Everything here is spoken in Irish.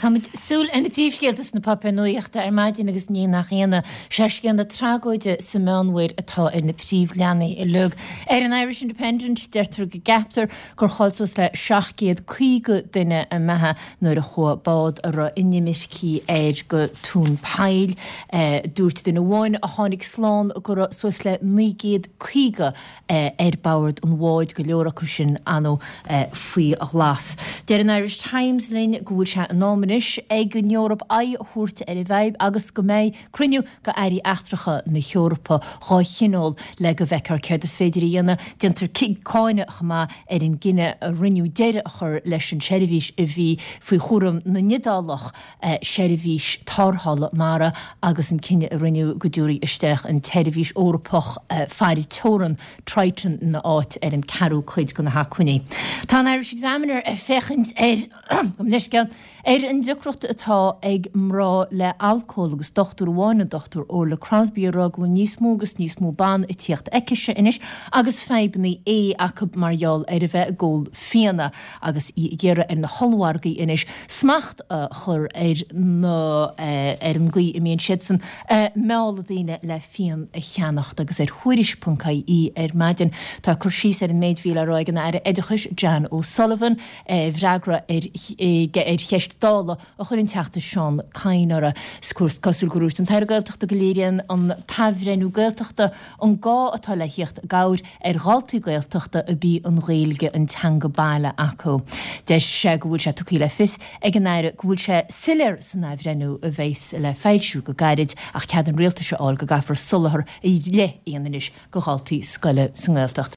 Caithfimid súil ar na príomhscéalta sna páipéir nuachta ar maidin agus ní nach ionadh, sé scéal na tragóide sa Meánmhuir atá ar na príomhleathanaigh uilig. Ar an Irish Independent, deirtear go gceaptar gur chaill suas le 750 duine a mbeatha nuair a chuaigh bád a raibh inimircigh air go tóin poill. Dúirt duine amháin a tháinig slán go raibh suas le 950 ar bord an bháid, go leor acu sin, ar ndóigh, faoi ghlas. Deir an Irish Times linn go bhfuil sé in am anois ag an Eoraip aghaidh a thabhairt ar an bhfadhb agus go mbeidh cruinniú go airí eachtracha na hEorpa dhá thionól le go bhfeicfear céard is féidir a dhéanamh. Déantar cáineadh chomh maith ar an gcinneadh a rinneadh deireadh a chur leis an tseirbhís a bhí faoi chúram na nIodálach, seirbhís tarrthála mara, agus an cinneadh a rinneadh go dtabharfaí isteach an tseirbhís Eorpach faire teorann, Triton, ina áit ar an ceathrú cuid de na hacmhainní. Tá an Irish Examiner ag féachaint ar, gabh mo leithscéal, Ar an deacracht atá ag mná le alcól agus dochtúir amháin, an Dr Orla Crosby, ag rá go bhfuil níos mó agus níos mó ban ag tíocht chuici anois agus fadhbanna ae acu mar gheall ar a bheith ag ól fíona agus í ag iarraidh ar na hollmhargaí anois smacht a chur ar na ar an gcaoi a mbíonn siadsan ag mealladh daoine le fíon a cheannacht agus ar Thuairisc.ie ar maidin tá cur síos ar an méid a bhí le rá ag an Aire Oideachais Jan O'Sullivan I bhfreagra ar cheist Dála a chuir an Teachta Seán Kyne uirthi, is cosúil gur dhúirt an tAire Gaeltachta go léiríonn an t-athbhreithniú Gaeltachta an gá atá le thíocht i gcabhair ar dhaltaí Gaeltachta a b'í an Ghaeilge an teanga baile acu. Deir sé go bhfuil sé tugtha le fios ag an Aire go bhfuil sé soiléir san athbhreithniú a bheas le foilsiú go gairid ach cead an Rialtais a fháil go gcaithfear soláthar ar leith a dhéanamh anois do dhaltaí scoile sa nGaeltacht.